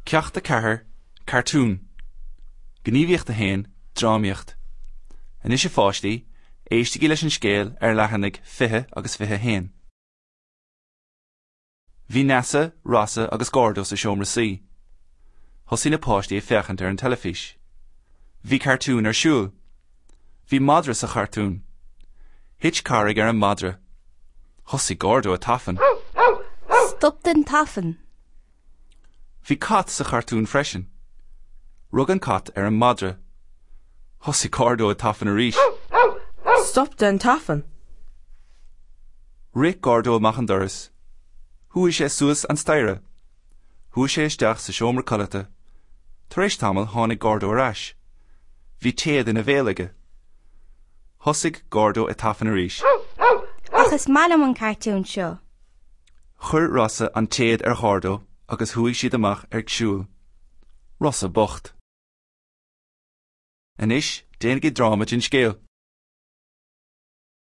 Ceacht 4, Cartún. Gníomhaíocht 1, Drámaíocht. Anois a pháistí, éistigí leis an scéal ar leathanaigh 20 agus 21. Bhí Neasa, Rossa agus Gordo sa seomra suí. Thosaigh na páistí ag féachaint ar an teilifís. Bhí cartún ar siúl. Bhí madra sa chartún. Thit carraig ar an madra. Thosaigh Gordo ag tafann. Stop den tafann! Bhí cat sa chartún freisin. Rug an cat ar an madra. Thosaigh Gordo ag tafann arís. Stop den tafann! Rith Gordo amach an doras. Chuaigh sé suas an staighre. Chuaigh sé isteach sa seomra codlata. Tar éis tamaill tháinig Gordo ar ais. Bhí téad ina bhéal aige. Thosaigh Gordo ag tafann arís. Ach is maith liom an cartún seo. Chuir Rossa an téad ar Ghordo agus chuaigh siad amach ag siúl. Rossa bocht. Anois, déanaigí dráma den scéal.